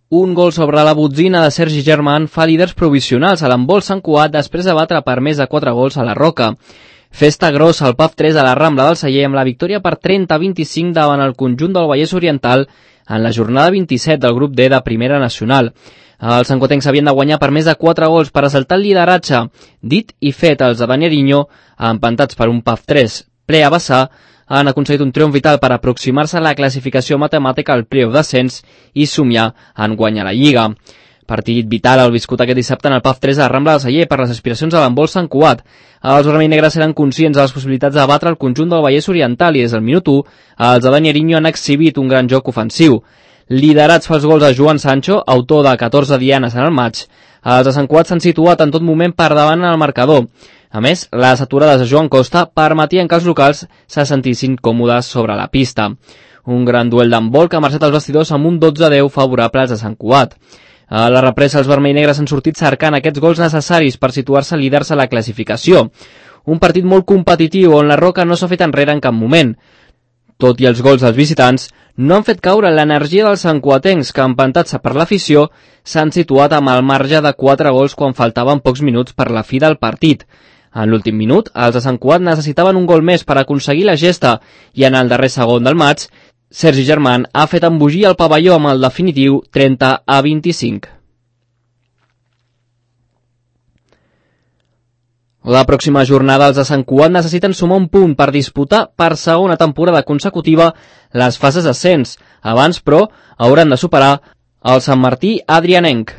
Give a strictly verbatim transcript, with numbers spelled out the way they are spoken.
Un gol sobre la botzina de Sergi Germán fa líders provisionals a l'handbol Sant Cugat després de batre per més de quatre gols a la Roca. Festa grossa al P A F tres a la Rambla del Celler amb la victòria per trenta a vint-i-cinc davant el conjunt del Vallès Oriental en la jornada vint-i-set del grup D de Primera Nacional. Els santcuatencs havien de guanyar per més de quatre gols per assaltar el lideratge. Dit i fet, els de Dani Ariño, empantats per un P A F tres ple a vessar, han aconseguit un triomf vital per aproximar-se a la classificació matemàtica al playoff d'ascens i somiar en guanyar la Lliga. Partit vital el viscut aquest dissabte en el P A F tres a la Rambla del Celler per les aspiracions a l'handbol Sant Cugat. Els vermell-negres eren conscients de les possibilitats de batre el conjunt del Vallès Oriental i des del minut u els de Dani Ariño han exhibit un gran joc ofensiu. Liderats pels gols de Joan Sancho, autor de catorze dianes en el maig, els de Sant Cugat s'han situat en tot moment per davant en el marcador. A més, les aturades de Joan Costa permetien que els locals se sentissin còmodes sobre la pista. Un gran duel d'handbol que ha marxat els vestidors amb un dotze a deu favorable als de Sant Cugat. A la represa, els vermell-negres han sortit cercant aquests gols necessaris per situar-se líders a la classificació. Un partit molt competitiu on la Roca no s'ha fet enrere en cap moment. Tot i els gols dels visitants, no han fet caure l'energia dels santcuatencs que, empantats per l'afició, s'han situat amb el marge de quatre gols quan faltaven pocs minuts per la fi del partit. En l'últim minut, els de Sant Cugat necessitaven un gol més per aconseguir la gesta i en el darrer segon del maig, Sergi Germán ha fet embogir el pavelló amb el definitiu trenta a vint-i-cinc. La pròxima jornada els de Sant Cugat necessiten sumar un punt per disputar per segona temporada consecutiva les fases d'ascens. Abans, però, hauran de superar el Sant Martí Adrianenc.